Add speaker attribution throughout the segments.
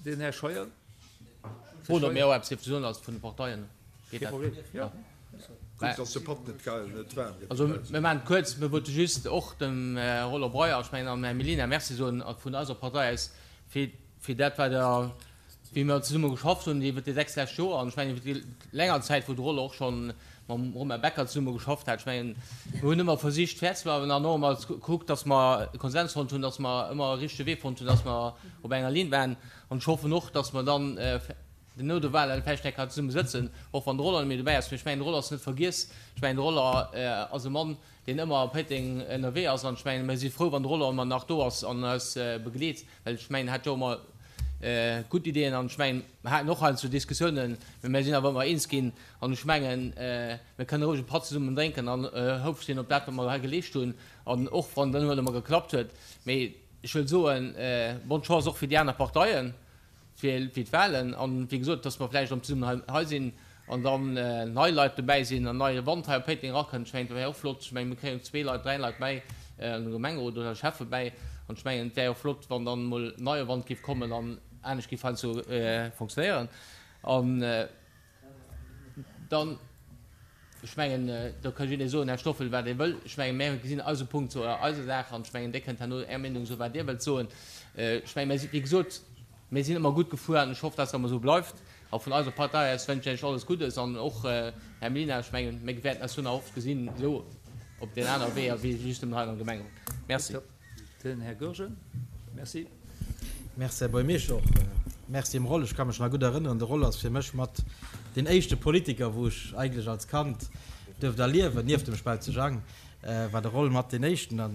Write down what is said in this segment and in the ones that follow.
Speaker 1: Den Här Scheuer.
Speaker 2: Froen, ob mir och eppes dierfe soen als vun de Parteien. Geet
Speaker 1: dat? Kee Problem, jo.
Speaker 3: Gutt, dass de Patt net geil, net waarm
Speaker 2: gëtt. Also mir maachen et kuerz. Mir wollte just och dem Här Roland Breyer, ech mengen, an dem Här Mellina Merci soen vun eiser Partei aus fir, fir dat, wat Der, wéi mir zesumme geschafft hunn iwwert déi 6 lescht Joer. An ech mengen, iwwert déi länger Zäit, wou de Roland och scho mam Romain Becker zesumme geschafft hat. Ech mengen, mir hunn ëmmer versicht, fair ze bleiwen an och ëmmer gekuckt, dass mer e Konsens fonnt hunn, dass mer ëmmer e richtege Wee fonnt hunn, dass mer op enger Linn waren. An ech hoffen och, dass mer dann no de Wahlen vläicht eng Kéier zesumme sëtzen, och wann de Roland net méi dobäi ass. Mee ech mengen, de Roland ass net vergiess. Ech mengen, de Roland ass e Mann, deen ëmmer a Péiteng ënnerwee ass. An ech mengen, mir si frou, wann de Roland ëmmer nach do ass an eis begleet, well ech mengen, en hat jo ëmmer gutt Ideeën. An ech mengen, mir haten och heiansdo Diskussiounen, mee mir sinn awer ëmmer eens ginn. An ech mengen, mir kënne roueg e Patt zesummen drénken an houfreg sinn op dat, wat mer hei geleescht hunn, an och wann et net ëmmer geklappt huet. Mee ech wëll soen, bonne chance och fir déi aner Parteien. fir d'Wahlen an, wéi gesot, dass mer vläicht erëm zesummen hei sinn an dann nei Leit dobäi sinn an neie Wand hei op Péiteng erakënnt. Ech mengen, dat wär och flott. Ech mengen, mir kréien zwee Leit, dräi Leit bäi an de Gemengerot oder Schäffe bäi an ech mengen, et wär och flott, wann dann emol neie Wand géif kommen an anescht géif heiansdo fonctionnéieren. An dann, ech mengen, do ka jidderee soen, Här Stoffel, wat e wëll. Ech mengen, mir gesinn eise Punkt zu eiser Saach an ech mengen, Dir kënnt herno Är Meenung soen, wat Dir wëllt soen. Ech mengen, mir si, wéi gesot, mir sinn ëmmer gutt gefuer an ech hoff, dass dat ëmmer esou bleift. A vun eiser Partei aus wënschen ech Iech alles Guddes an och, Här Mlinar, ech mengen, mir wäerten eis do nach oft gesinn, esou op deen anere Weeër wéi just nëmmen hei am Gemengerot. Merci.
Speaker 1: Den Här Goergen. Merci.
Speaker 4: Merci, Här Buergermeeschter. Och Merci dem Roll. Ech ka mech nach gutt erënneren, de Roll ass fir mech mat deen éischte Politiker, wou ech eigentlech als Kand duerft erliewen, nieft dem Spautze Jang war de Roll mat deen éischten. A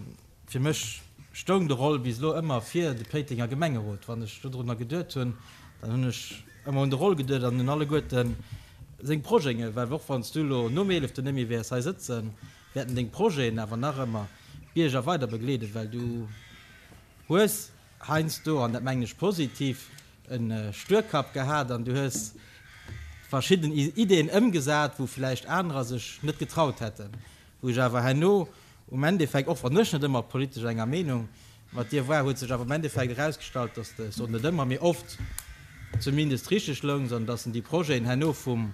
Speaker 4: fir mech stoung de Roll bis elo ëmmer fir de Péitenger Gemengerot. Wann ech dodrunner geduet hunn, dann hunn ech ëmmer un de Roll geduet an un alleguerte seng Projeten, well och wann s du elo nom eeleften net méi wäers hei sëtzen, wäerten deng Projeten awer nach ëmmer d'Bierger weider begleeden, well du hues heiansdo, an dat mengen ech positiv, e Stuerkapp gehat an du hues verschidden Ideen ëmgesat, wou vläicht anerer sech net getraut hätten, wou ech awer herno um Endeffekt, och wann ech net ëmmer politesch enger Meenung mat dir war, huet sech awer um Endeffekt erausgestallt, dass de, ech soen net ëmmer, mee oft zumindest richteg loungs an dass déi Projeten herno vum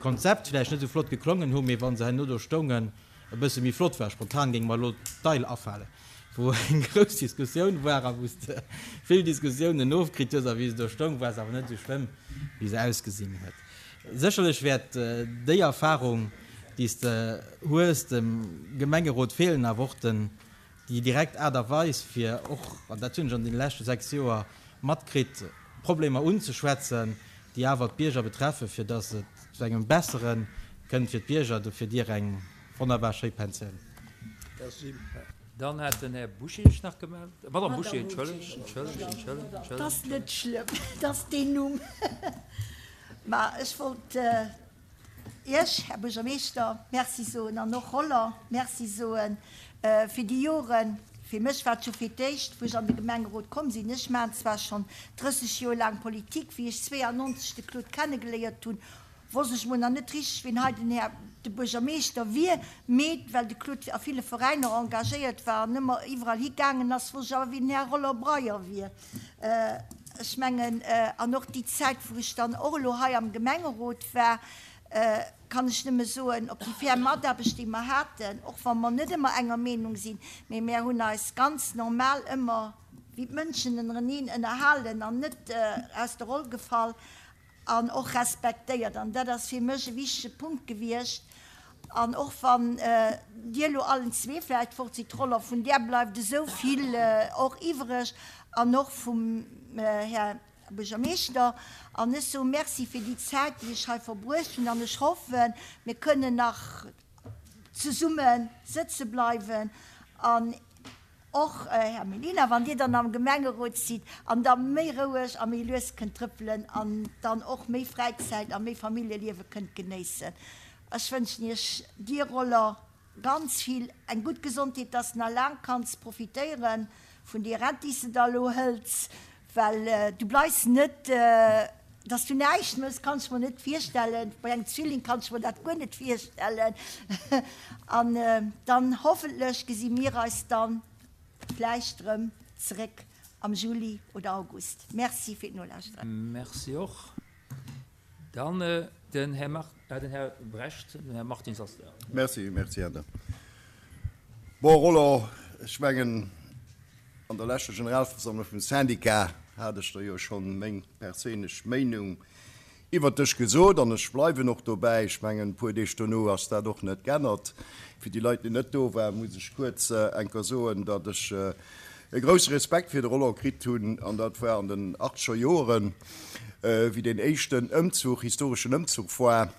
Speaker 4: Konzept vläicht net esou flott geklongen hu, mee wa se herno do stoungen, e bësse méi flott war. Spontan géing mer elo d'Eil afalen, wou eng grouss Diskussioun war a wou s de vill Diskussiounen ofkritt hues a wéi se do stoung, war se awer net esou schlëmm, wéi se ausgesinn huet. Sécherlech wäert déi Erfahrung, déi s de hues, dem Gemengerot feelen, awer och den, déi direkt Aart a Weis, fir och, an dat hunn ech an deene leschte 6 Joer matkritt, Problemer unzeschwätzen, déi awer d'Bierger betreffen, fir dass et zu engem bessere kënnt fir d'Bierger. Dofir dir eng wonnerbar schéi Pensioun.
Speaker 1: Merci. Dann hat den Här Bouché sech nach gemellt. Madame Bouché, entschëllegt, entschëllegt, entschëllegt, entschëllegt.
Speaker 5: 't ass net schlëmm, 't ass deen Numm. Mä ech wollt Iech, Här Buergermeeschter, Merci soen an och Roland Merci soe fir déi Joren. Fir mech war et scho fir d'éischt, wou ech an de Gemengerot komm sinn, ech maachen zwar schonn 30 Joer laang Politik, wéi ech 92 de Claude kennegeléiert hunn, wosst ech mol nach net richteg, wien hei den Här de Buergermeeschter wier, mee well de Claude a ville Veräiner engagéiert war an ëmmer iwwerall higaangen ass, wosst ech awer, wien den Här Roland Breyer wier. Ech mengen, an och déi Zäit, wou ech dann och elo hei am Gemengerot war, kann ech nëmme soen, op déi fair Mataarbecht, déi mer haten, och wa mer net ëmmer enger Meenung sinn, mee mär hunn eis ganz normal ëmmer wéi d'Mënschen ënnereneen ënnerhalen an net aus der Roll gefall an och respektéiert. An dat ass fir mech e wichtege Punkt gewiescht. An och wann Dir elo allen zwee vläicht fort sidd, Roller, vun där bleift esou vill och iwwreg an och vum Här Buergermeeschter. An ech soe Merci fir déi Zäit, déi ech hei verbruecht hunn. An ech hoffen, mir kënnen nach zesumme sëtze bleiwen an Och, Här Mellina, wann Dir dann am Gemengerot sidd an da méi roueg a méi lues kënnt trëppelen an dann och méi Fräizäit a méi Familljeliewe kënnt genéissen. Ech wënschen Iech, dir Roller, ganz vill eng gutt Gesondheet, dass de nach laang kanns profitéiere vun deer Rent, déi s de da elo hëls, Well du bleifs net, dass du näischt mëss, kann ech mer net virstellen. Bei engem Zwilling kann ech mer dat guer net virstellen. An dann hoffentlech gesi mir eis dann vläicht erëm zeréck. Am Juli oder August. Merci fir d'Nolauschteren.
Speaker 1: Merci och. Dann den Här Mar-, den Här Brecht, den Här Martins ass da.
Speaker 3: Merci, merci, Här De. Bon, Roland, ech mengen, an der leschter Generalversammlung vum Syndicat hat ech der jo schonn meng perséinlech Meinung iwwert dech gesot an ech bleiwen och dobäi. Ech mengen, e puer Deeg dono ass dat och net g'ännert. Fir déi Leit, déi net do waren, muss ech kuerz eng Kéier soen, datt ech e grousse Respekt fir de Roland kritt hunn, an dat war an den achtzeger Joeren, wéi deen éischten Ëmzuch, historeschen Ëmzuch war,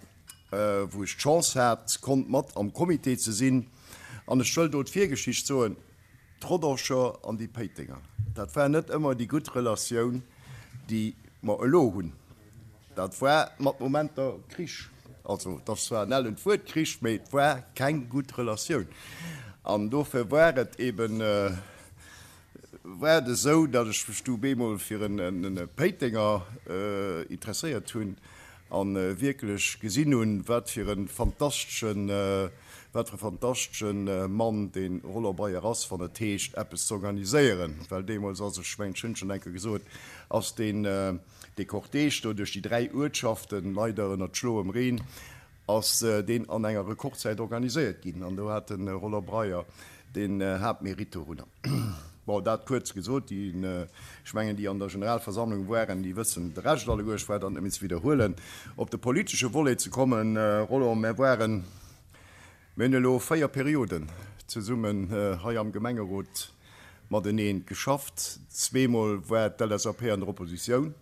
Speaker 3: wou ech d'Chance hat, konnt mat am Comité ze sinn. An ech wëll do d'Virgeschicht soen, D'Rodanger an déi Péitenger, dat war net ëmmer déi gutt Relatioun, déi mer elo hunn. Dat war mat Momenter Krich. Also, et ass zwar en ellent Wuert, Krich, mee et war keng gutt Relatioun. An dofir war et eben, war et esou, datt ech mech du bemol fir e Péitenger interesséiert hunn a wierklech gesinn hunn, wat fir e fantasteschen, Wat fir e fantastesche Mann dee Roland Breyer ass, wann et heescht, eppes ze organiséieren. Well deemools ass, ech mengen, ech hunn et schonn eng Kéier gesot, ass deen, dee Cortège do duerch déi 3 Uertschaften, leider ënnert schloem Reen, ass deen an enger Rekordzäit organiséiert ginn. An do hat de Roland Breyer den Haaptmérite dorunner. Bon, dat kuerz gesot. Déi, ech mengen, déi an der Generalversammlung waren, déi wëssen de Rescht alleguer. Ech brauch dat net méi ze widderhuelen. Op de politesche Volet ze kommen, Roland, mär waren, mir hunn elo 4 Perioden zesummen hei am Gemengerot matenee geschafft. Zweemol war d'LSAP an der Oppositioun.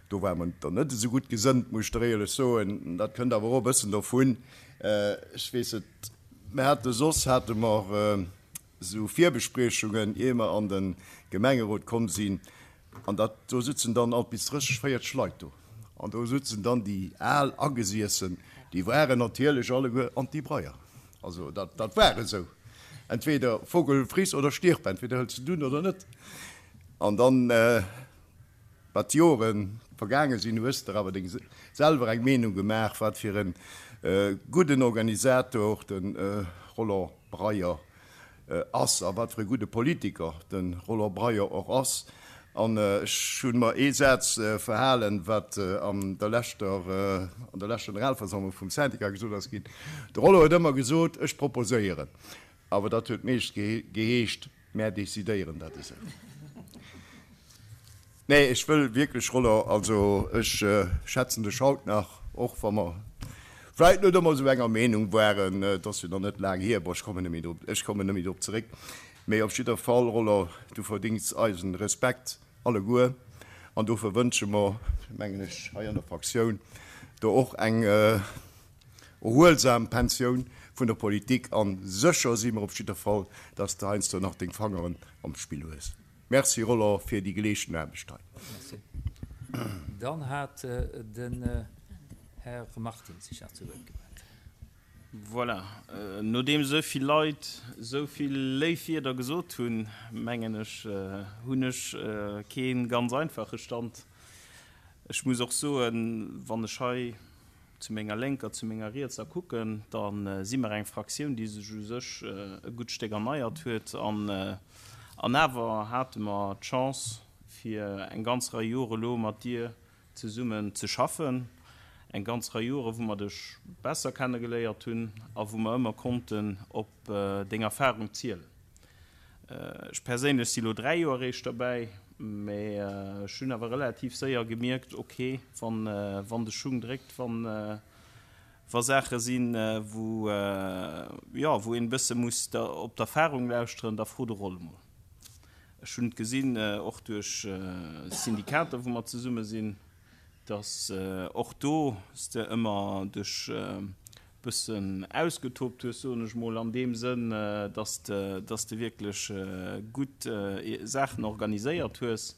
Speaker 3: Do ware mer der net esou gutt gesënnt, muss ech der éierlech soen. Dat kënnt awer och e bëssen dovun, ech weess et, Mir hate soss hate mer esou Virbespriechungen, ier mer an de Gemengerot komm sinn, an dat, do sutzen dann alt bis 30, 40 Leit do. An do sutzen dann déi al Agesiessen, déi waren natierlech alleguer Anti-Breyer. Also dat, dat war esou. Entweder Vogel friss oder stirb, entweder hëls de et un oder net. An dann. Wat d'Jore vergaange sinn, hues de der awer deng selwer eng Meenung gemaach, wat fir e gudden Organisator de Roland Breyer ass a wat fir e gudde Politiker de Roland Breyer och ass. An ech hu mer ee Saz verhalen, wat an der leschter, an der leschter Generalversammlung vum Syndicat gesot ass ginn. De Roland huet ëmmer gesot, Ech proposéieren. Awer dat huet meescht geheescht, Mär decidéieren dat esou. Nee, ech wëll wierklech, Roland, also ech schätzen dech haut nach, och wa mer vläit net ëmmer esou enger Meenung waren, et ass jo nach net laang hier, bon, ech kommen net méi drop, ech kommen net méi drop zeréck, mee op jidder Fall, Roland, du verdéngs eisen Respekt alleguer an dofir wënsche mer, mengen ech, hei an der Fraktioun der och eng Erhuelsam Pensioun vun der Politik an sécher si mer op jidder Fall, dass de heiansdo nach deng Fangeren am Spill hues. Merci Roland fir déi geleeschten Aarbecht hei.
Speaker 1: Merci. Dann hat den Här Martins sech nach zu Wuert gemellt.
Speaker 6: Voilà, nodeem esou vill Leit esou vill léif Wierder gesot hunn, mengen ech, hunn ech kee ganz einfache Stand. Ech muss och soen, wann ech hei zu menger Lénker, zu menger Rietser kucken, da si mer eng Fraktioun, déi sech u sech e gutt Stéck erneiert huet. An awer hate mer d'Chance, fir eng ganz Rei Jore elo mat dir zesummen ze schaffen, eng ganz Rei Jore wou mer dech besser kennegeléiert hunn a wou mer ëmmer konnten op deng Erfahrung zielen. Ech perséinlech si lo 3 Joer eréischt derbäi, mä ech hunn awer relativ séier gemierkt, ok, wann, wann de Schung dréckt, wann, wa Saache sinn, wou, jo, wou een e bësse muss op d'Erfahrung lauschteren, da fro de Roll emol. Ech hunn et gesinn, och duerch Syndikater, wou mer zesumme sinn, dass och do s de ëmmer dech e bëssen ausgetobt hues, soen ech mol, an deem Sënn, dass de, dass de wierklech gutt Saachen organiséiert hues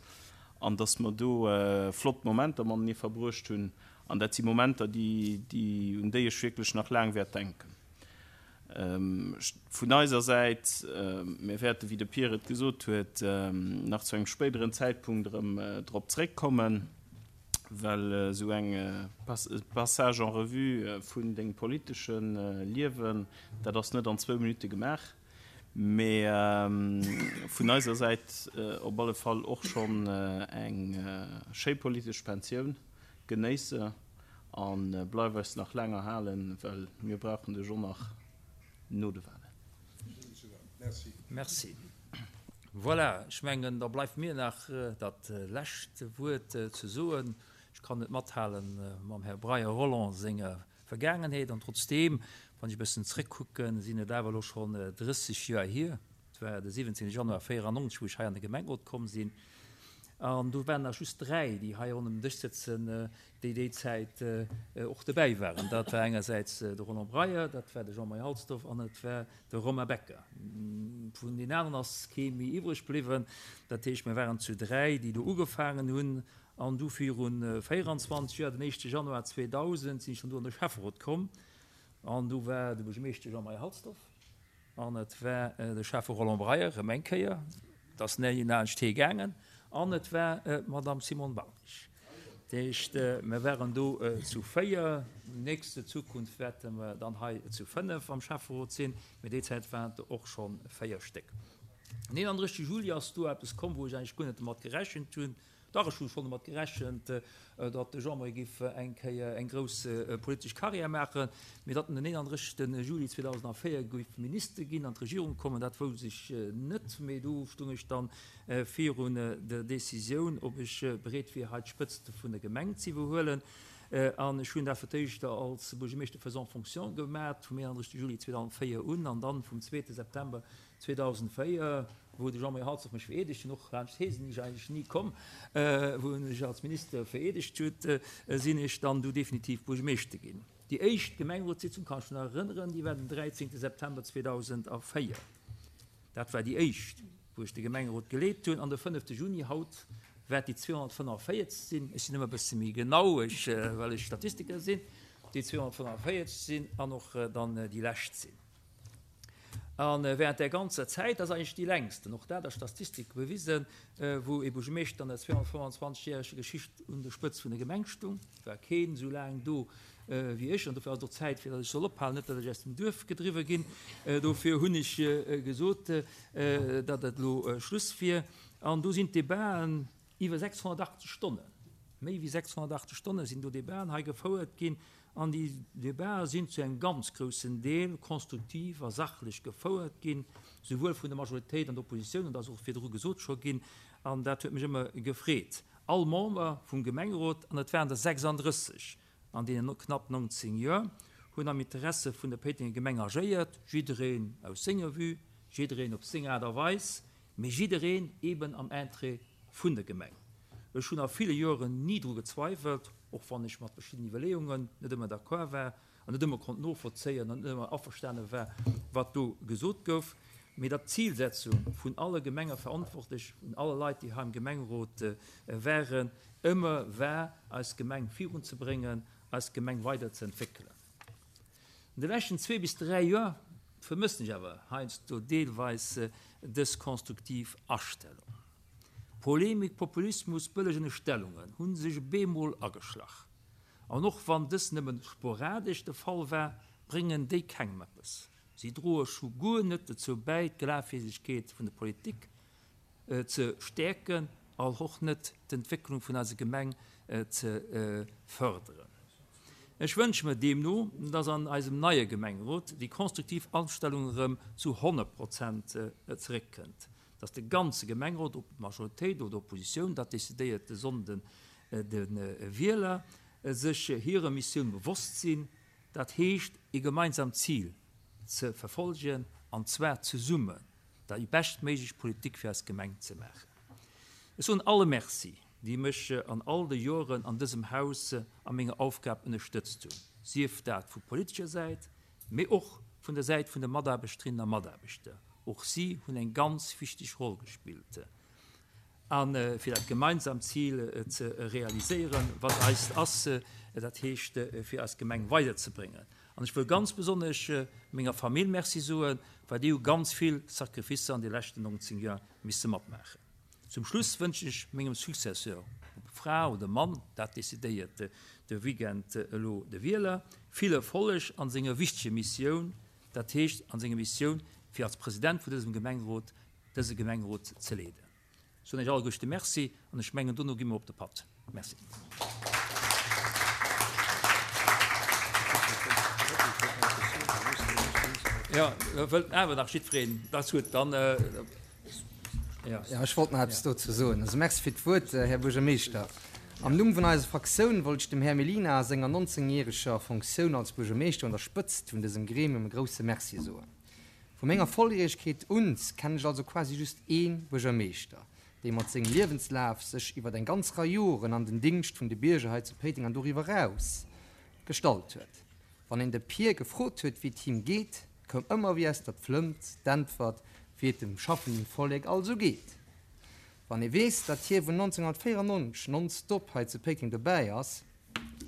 Speaker 6: an dass mer do flott Momenter matenee verbruecht hunn. An dat si Momenter, déi, déi, un déi ech wierklech nach laang wäert denken. Vun eiser Säit, mir wäerten, wéi de Pierre et gesot huet, nach zu engem spéideren Zäitpunkt erëm drop zréckkommen, well esou eng Passage en revue vun dengem politesche Liewen, dat ass net an zwou Minutte gemaach. Mee vun eiser Säit op alle Fall och schonn eng schéi politesch Pensioun. Genéiss se a bleif eis nach laang erhalen, well mir brauchen dech och nach no de Walen.
Speaker 1: Merci. Voilà, ech mengen, da bleift mir nach dat lescht Wuert ze soen. Ech kann net mathale mam Här Breyer Roland senger Vergaangenheet an trotzdeem, wann ech e bëssen zrëckkucken, sinn et awer elo schonn 30 Joer hier, et war de 17 Januar 94, wou ech hei an de Gemengerot komm sinn an do waren nach just dräi, déi hei ronderëm den Dësch sëtzen, déi déi Zäit och dobäi waren. Dat war engersäits de Roland Breyer, dat war de Jean-Marie Halsdorf an et war de Romain Becker. Vun deenen aneren ass kee méi iwwreg bliwwen. Dat heescht, mir waren zu dräi, déi do ugefaangen hunn. An du viru 24 Joer, den éischte Januar 2000, sinn ech dann do an de Schäfferot komm. An du war de Buergermeeschter Jean-Marie Halsdorf an et war de Schäffe Roland Breyer, erëm eng Kéier, et ass ni laanscht hee gaangen, an et war d'Madame Simone Barnich. Dat heescht, mir waren do zu 4. Nächste Zukunft wäerte mer dann hei zu 5 am Schäfferot sinn, mee déi Zäit waren et och scho 4 Stéck. Den 31 Juli ass do eppes komm, wou ech eigentlech guer net domat gerechent hunn. Dach, ech hu schonn domat gerechent, datt de Jean-Marie géif eng Kéier eng grouss politesch Carrière maachen, mee datt en den 31. Juli 2004 géif Minister ginn, an d'Regierung kommen, dat wousst ech net. Mee du stung ech dann virun der Decisioun, ob ech bereet wier, hei d'Spëtzt vun der Gemeng ze iwwerhuelen. An ech hunn dat fir d'éischt als Buergermeeschter faisant fonction gemat, vum 31. Juli 2004 un, an dann vum zweete September 2004, wou de Jean-Marie Halsdorf mech vereedegt hunn, och laanscht hee sinn ech eigentlech ni komm, wou en mech als Minister vereedegt huet, sinn ech dann du definitiv Buergermeeschter ginn. Déi éischt Gemengerotssitzung, kann ech mech nach erënneren, déi war den 13. September 2004. Dat war déi éischt, wou ech de Gemengerot geleet hunn. An de 5. Juni, haut, wäert déi 245 sinn, ech sinn ëmmer e bësse méi genau, ech, well ech Statistiker sinn, déi 245 sinn an och dann déi lescht sinn. A während där ganzer Zäit, dat ass eigentlech déi längsten, och dat ass Statistik bewisen, wou ee Buergermeeschter an der 225 järeger Geschicht un der Spëtzt vun der Gemeng stung, war keen esou laang do wéi ech. An dofir ass et och Zäit, fir datt ech soll ophalen, net datt ech aus dem Duerf gedriwwe ginn. Dofir hunn ech gesot, datt et elo Schluss wier. An do sinn d'Debaten Iwwer 680 Stonnen, méi wéi 680 Stonne sinn do Debaten hei gefouert ginn. An déi Debaten sinn zu engem ganz groussen Deel konstruktiv a sachlech gefouert ginn, souwuel vun der Majoritéit an der Oppositioun, an dat ass och virdru gesot scho ginn, an dat huet mech ëmmer gefreet. All Member vum Gemengerot, an et waren der 36 an deenen knapp 19 Joer, hunn am Interesse vun der Péitenger Gemeng agéiert, jiddereen aus senger Vue, jiddereen op seng Aart a Weis, mee jiddereen eben am Interêt vun der Gemeng. Ech hunn a ville Joeren ni dru gezweiwelt, och wann ech mat verschidden Iwwerleeungen net ëmmer d'accord war an net ëmmer konnt novollzéien an net ëmmer averstane war, wat do gesot gouf, mee datt d'Zilsetzung vun alle Gemengeverantwortlech, vun alle Leit, déi hei am Gemengerot waren, ëmmer war, eis Gemeng virunzebréngen, eis Gemeng weiderzeentwéckelen. An de leschten zwee bis dräi Joer vermëssen ech awer heiansdo deelweis dës konstruktiv Astellung. Polemik, Populismus, bëlleg Ënnerstellungen hu sech bemol ageschlach. An och wann dës nëmmen sporadesch de Fall war, bréngen déi kengem eppes. Si droe scho guer net dozou bäi, d'Glafwierdegkeet vun der Politik ze stäerken an och net d'Entwécklung vun eiser Gemeng ze fërderen. Ech wënsche mir deemno, dass an eisem neie Gemengerot déi konstruktiv Astellung erëm zu 100 Prozent zeréckkënnt, dass de ganze Gemengerot, ob Majoritéit oder Oppositioun, dat decidéiert de Sonnden de Wieler, sech hirer Missioun bewosst sinn, dat heescht ee gemeinsamt Zil ze verfolgen, an zwar zesummen. Déi beschtméiglech Politik fir eis Gemeng ze maachen. Ech soen alle Merci, déi mech an all de Joren an dësem Haus a menger Aufgab ënnerstëtzt hunn, sief dat vu politescher Säit, mee och vun der Säit vun de Mataarbechterinnen a Mataarbechter. Och si hunn eng ganz wichteg Roll gespillt. A fir dat gemeinsamt Zil ze realiséieren, wat eist ass, dat heescht fir eis Gemeng weiderzebréngen. An ech wëll ganz besonnesch menger Famill Merci soen, well déi hu ganz vill Sacrificer an de leschten 19 Joer misse matmaachen. Zum Schluss wënschen ech mengem Successeur, ob Fra oder Mann, dat decidéiert de Weekend elo de Wieler, vill Erfolleg an senger wichteger Missioun, dat heescht an senger Missioun. fir als President vun dësem Gemengerot dëse Gemengerot ze leeden. Ech soen Iech alleguerste Merci an ech mengen, dono gi mer op de Patt. Merci. Jo, wëllt awer nach jiddwereen? Dat ass gutt, dann, jo.
Speaker 7: Jo, ech wollt nach eppes dozou soen. Also Merci fir d'Wuert, Här Buergermeeschter. Am Numm vun eiser Fraktioun wollt ech dem Här Mellina a senger 19 järeger Fonctioun als Buergermeeschter un der Spëtzt vun dësem Gremium e grouse Merci soen. Vu menger Volljäregkeet un kennen ech also quasi just ee Buergermeeschter, dee mat sengem Liewenslaf sech iwwer eng ganz Rei Joren an den Dingscht vun de Bierger hei zu Péiteng an doriwwer eraus gestallt huet. Wann een de Pier gefrot huet, wéi et him geet, koum ëmmer wéi aus der Pflëmmt d'Äntwert, wéi et dem schaffenden Vollek alt esou geet. Wann ee weess, datt hie vun 1994 nonstop hei zu Péiteng dobäi ass,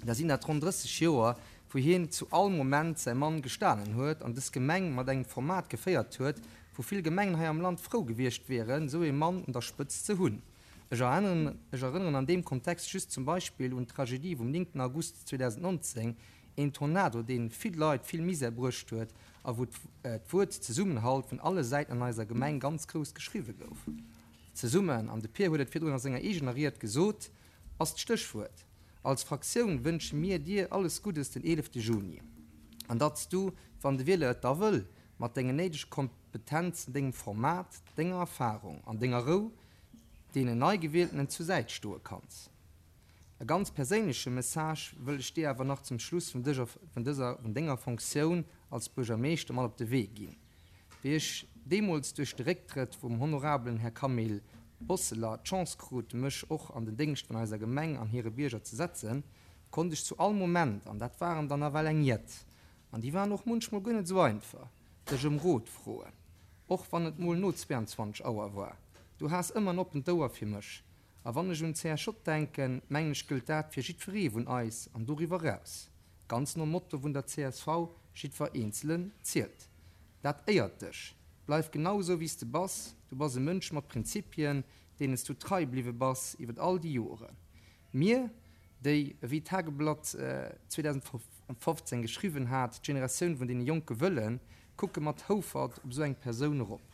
Speaker 7: da sinn dat ronn 30 Joer, wou hien zu all Moment säi Mann gestanen huet an dës Gemeng mat engem Format geféiert huet, wou vill Gemengen hei am Land frou gewiescht wieren, esou ee Mann un der Spëtzt ze hunn. Ech erënneren an deem Kontext just zum Beispill un d'Tragedie vum 9 August 2019, een Tornado, dee vill Leit vill Misär bruecht huet a wou d'Wuert Zesummenhalt vun alle Säiten an eiser Gemeng ganz grouss geschriwwe gouf. Zesummen, an de Pir huet et virdrun a senger eegener Ried gesot, ass d'Stéchwuert. Als Fraktioun wënsche mir dir alles Guddes den 11 Juni an datt s du, wann de Wieler et da wëll, mat dengen néidege Kompetenzen, dengem Format, denger Erfahrung an denger Rou deenen Neigewieltenen zur Säit stoe kanns. E ganz perséinleche Message wëll ech dir awer nach zum Schluss vun dëser, vun denger Fonctioun als Buergermeeschter mat op de Wee ginn. Wéi ech deemools duerch de Récktrëtt vum honorabelen Här Camille Bosseler d'Chance krut, mech och an den Déngscht vun eiser Gemeng an hire Bierger ze setzen, konnt ech zu all Moment, an dat waren der nawell eng jett, an déi waren och munchmol guer net esou einfach, dech ëm Rot froen, och wann et mol no 22 Auer war. Du has ëmmer en oppent Ouer fir mech. A wann ech un CSJ denken, mengen ech gëllt dat fir jiddweree vun eis an doriwwer eraus. Ganz nom Motto vun der csv, Jiddwer Eenzelen zielt. Dat éiert dech. Bleif genau esou wéi s de bass. Du bass e Mënsch mat Prinzipien, deenen s du trei bliwwe bass iwwer all déi Joren. Mir, déi, ewéi d'Tageblatt 2015 geschriwwen hat, d'Generatioun vun deene Jonke wëllen, kucke mat Houfert op esou eng Persoun erop.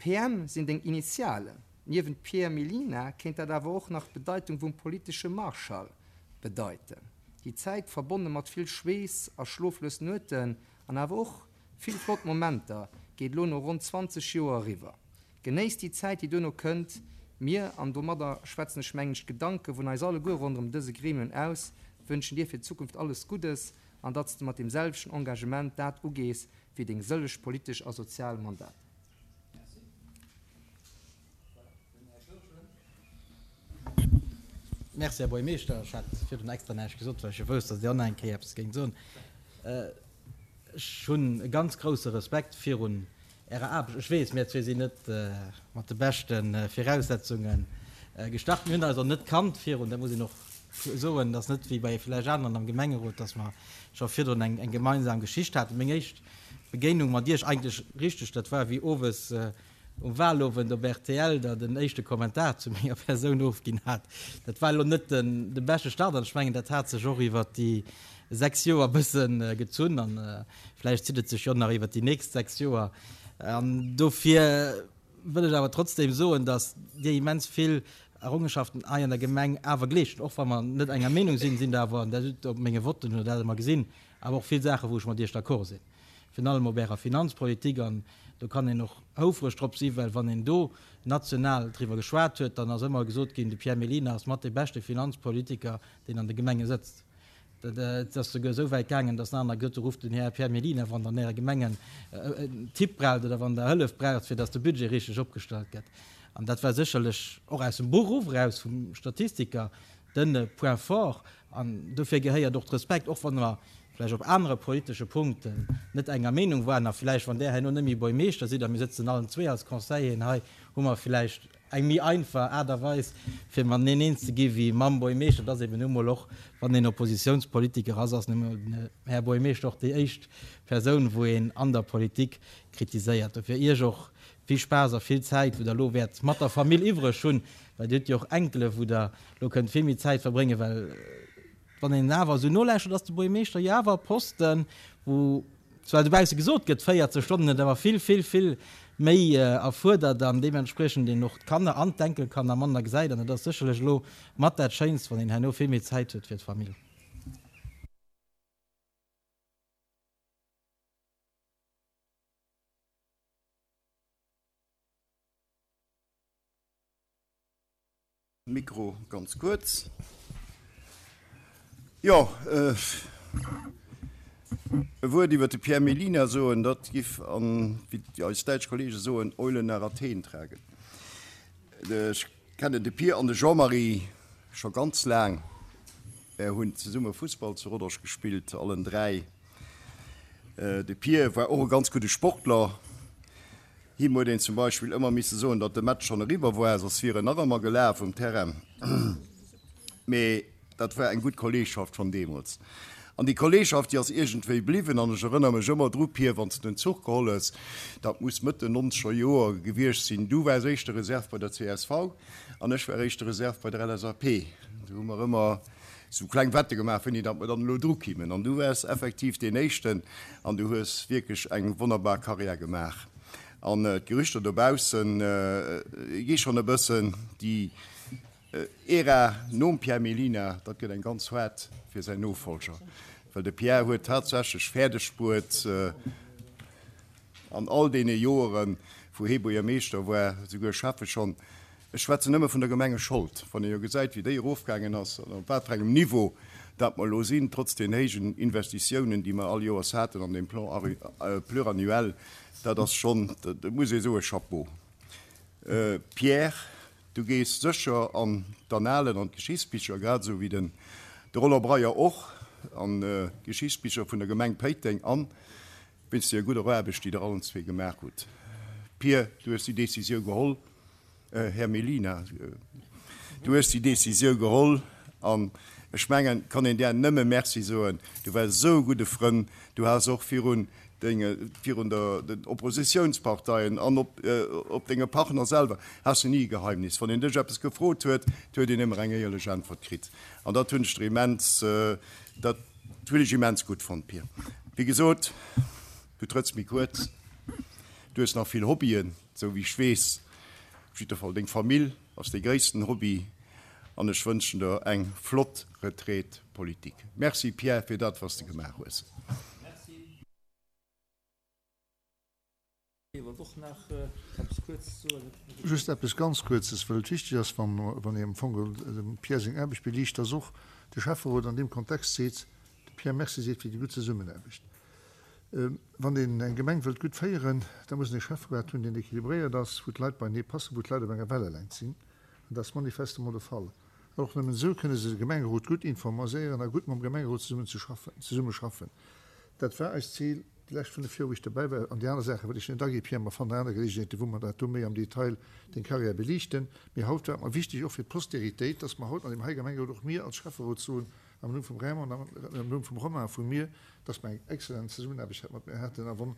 Speaker 7: PM sinn deng Initialen. Niewent Pierre Mellina kéint dat awer och nach d'Bedeitung vum politesche Marschall bedeiten. Déi Zäit, verbonne mat vill Schweess a schloflos Nueten an awer och vill flott Momenter, geet elo no ronn 20 Joer eriwwer. Genéiss déi Zäit, déi duerno kënnt. Mir, an domadder schwätzen ech mengen ech d'Gedanke vun eis alleguer ronderëm dëse Gremium aus, wënschen dir fir d'Zukunft alles Guddes an datt s de mat deem selwechten Engagement dat ugees, wéi deng sëlleg politesch a sozial Mandater.
Speaker 4: Merci, Här Buergermeeschter. Ech hat virdrun extra näischt gesot, well ech jo wousst, datt Dir och nach eng Kéier eppes géingt soen. Ech hunn e ganz grouse Respekt virun Ärer Aarbecht. Ech weess, mir zwee sinn net mat de beschte Viraussetzunge gestart. Mir hunn eis och net kannt virun, dat muss een och soen. Et ass net wéi bei vläicht aneren am Gemengerot, datt mer scho virdrun eng gemeinsam Geschicht haten. Meng éischt Begéinung mat Iech eigentlech richteg, dat war wéi owes um Wahlowend op rtl Der den éischte Kommentar zu menger Persoun ofginn hat. Dat war elo net de beschte Start an ech mengen, dat hat sech och iwwert déi 6 Joer e bësse gezunn an vläicht zitt et sech jo nach iwwert déi nächst 6 Joer. An dofir wëll ech awer trotzdeem soen, datt Dir immens vill Errongenschaften hei an der Gemeng awer geleescht hutt. Och wa mer net enger Meenung sinn, sinn der awer, an dat hutt Der op menge Votten hutt Der dat ëmmer gesinn, awer och vill Saachen, wou ech mat Iech d'accord sinn, virun allem op Ärer Finanzpolitik. An do kann een och houfreg drop sinn, well wann een do national driwwer geschwat huet, dann ass ëmmer gesot ginn, de Pierre Mellina ass mat dee beschte Finanzpolitiker, deen an de Gemenge sëtzt. Et ass souguer esou wäit gaangen, datt en aner gesot huet, Rufft den Här Pierre Mellina, wann Der an Äre Gemengen en Tipp braucht oder wann Der Hëllef braucht, fir datt de Budget richteg opgestallt gëtt. An dat war sécherlech och aus dem Beruff eraus vum Statistiker de Point fort. An dofir gehéiert och de Respekt, och wann mer vläicht op anere politesche Punkten net enger Meenung waren. A vläicht, wann Der herno net méi Buergmeeschter sidd a mir sëtzen allen zwee als Conseilleren hei, hu mer vläicht eng méi einfach Aart a Weis, fir mateneen eens ze gi wéi mam Buergmeeschter. Dat ass eben nu mol och, wann een Oppositionspolitiker ass, ass nu mol den Här Buergmeeschter och déi éischt Persoun, wou een an der Politik kritiséiert. Dofir Iech och vill Spaass a vill Zäit, wou Der elo wäert mat der Famill iwwreg hunn, well Dir hutt jo och Enkele wou Der elo kënnt vill méi Zäit verbréngen, well wann een awer esou nolauschtert, ass de Buergmeeschter jo awer e Posten, wou. Zwar dobausse gesot gëtt 40 Stonnen, et awer vill, vill, vill méi erfuerdert an deementspriechend een och d'Kanner an d'Enkelkanner manner gesäit. An et ass sécherlech elo mat dat Schéinst, wann een herno vill méi Zäit huet fir d'Famill.
Speaker 3: Mikro ganz kuerz. Jo, e Wuert iwwer de Pierre Mellina soen, dat giff an, wéi eis däitsch Kollege soen, Eulen nach Athen tragen. Ech kennen de Pierre an de Jean-Marie scho ganz laang. Mär hunn zesumme Fussball zu Rodange gespillt, allen 3. De Pierre war och e ganz gudde Sportler. Him huet een zum Beispill ëmmer misse soen, datt de Match schonn eriwwer war, soss wier en nach ëmmer gelaf um Terrain. Mee dat war eng gutt Kolleegschaft schonn deemools. An déi Kolleegschaft, déi ass iergendwéi bliwwen. An ech erënner mech ëmmer dru, Pir, wann s de den Zuch geholl hues, dat muss Mëtt den nonzeger Joer gewiescht sinn, du waars éischte Reserve bei der csv an ech war éischte Reserve bei der LSAP. Do hu mer ëmmer esou kleng Wette gemaach, wéini datt mer dann elo dru kimmen. An du waars effektiv deen Éischten an du hues wierklech eng wonnerbar Karriär gemaach. An d'Gerüchter dobausse gi schonn e bëssen, déi Ära nom Pierre Mellina, dat gëtt eng ganz haart fir säin Nofolger, well de Pierre huet tatsächlech fäerdeg bruet, an all deene Joeren, wou hee Buergermeeschter war, souguer Schäffe schonn, Ech schwätzen nëmme vun der Gemengeschold, wann ee jo gesäit, wéi déi erofgaangen ass an op wat fir engem Niveau dat mer elo sinn, trotz den héijen Investitiounen, déi mer all Joers haten an deem Plan pluriannuel, dat ass schonn, dat muss ee soen, Chapeau. Pierre, du gees sécher an d'Annalen, an d'Geschichtsbicher, grad esou wéi den de Roland Breyer och an d'Geschichtsbicher vun der Gemeng Péiteng an wéinst deer gudder Aarbecht, déi Der allen zwee gemaach hutt. Pir, du hues déi Décisiou geholl, Här Mellina, du hues déi Décisiou geholl an ech mengen, et kann een där nëmme Merci soen. Du waars esou e gudde Frënn, du has och virun denge, virun der, den Oppositiounsparteien an op, op denge Partner selwer has du ni e Geheimnis. Wann een dech eppes gefrot huet, huet een ëmmer eng éierlech Äntwert kritt an dat hunn ech der immens, dat hunn ech immens gutt fonnt, Pir. Wéi gesot, du trëtts méi kuerz, du hues nach vill Hobbyen, esou wéi ech weess. Op jidder Fall, deng Famill ass dee gréissten Hobby an ech wënschen der eng flott Retraite politique. Merci Pierre fir dat, wat s de gemaach hues.
Speaker 8: Just eppes ganz Kuerzes, well et wichteg ass, wann ee am Fong dem Pierre seng Aarbecht beliicht, dass och de Schäfferot an deem Kontext seet, dem Pierre Merci seet fir déi gutt Zesummenaarbecht. Wann een eng Gemeng wëllt gutt féieren, da muss een e Schäfferat hunn, deen équilibréiert ass, wou d'Leit beienee passen, wou d'Leit op enger Wellelängt sinn. An dat ass manifestement de Fall. An och nëmmen esou kënne se de Gemengerot gutt informerséieren a gutt mam Gemengerot zesummen ze schaffen, zesumme schaffen. Dat war eist Zil déi lescht 5 Joer, wou ech dobäi war. An déi aner Saache wëll ech net aginn, Pierre, mer fannen aner Geleegenheeten, wou mer dat do méi am Detail, deng Carrière beliichten. Mee haut war et mer wichteg, och fir d'Postéritéit, dass mer haut an deem hei Gemengerot, och mir als Schäfferot soen, am Numm vum Raymond an am Numm vum Romain a vu mir, dass mer eng excellent Zesummenaarbecht mat mir haten. A wann,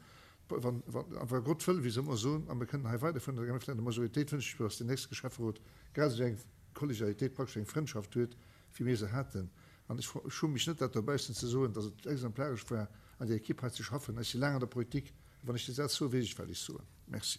Speaker 8: wann, wann, a wa Gott wëll, wéi se ëmmer soen, a mir kënnen hei weiderfueren an der Gemeng, vläicht an der Majoritéit, wënsche ech mir, dass deen nächste Schäfferot grad esou eng Kollegialitéit, praktesch eng Frëndschaft huet, wéi mir se haten. An ech schumme mech net, dat dobaussen ze soen, dass et exemplaresch war, an där Ekipp hei ze schaffen. Ech si laang an der Politik, a wann ech dee Saz soen, weess ech, wat ech soen. Merci.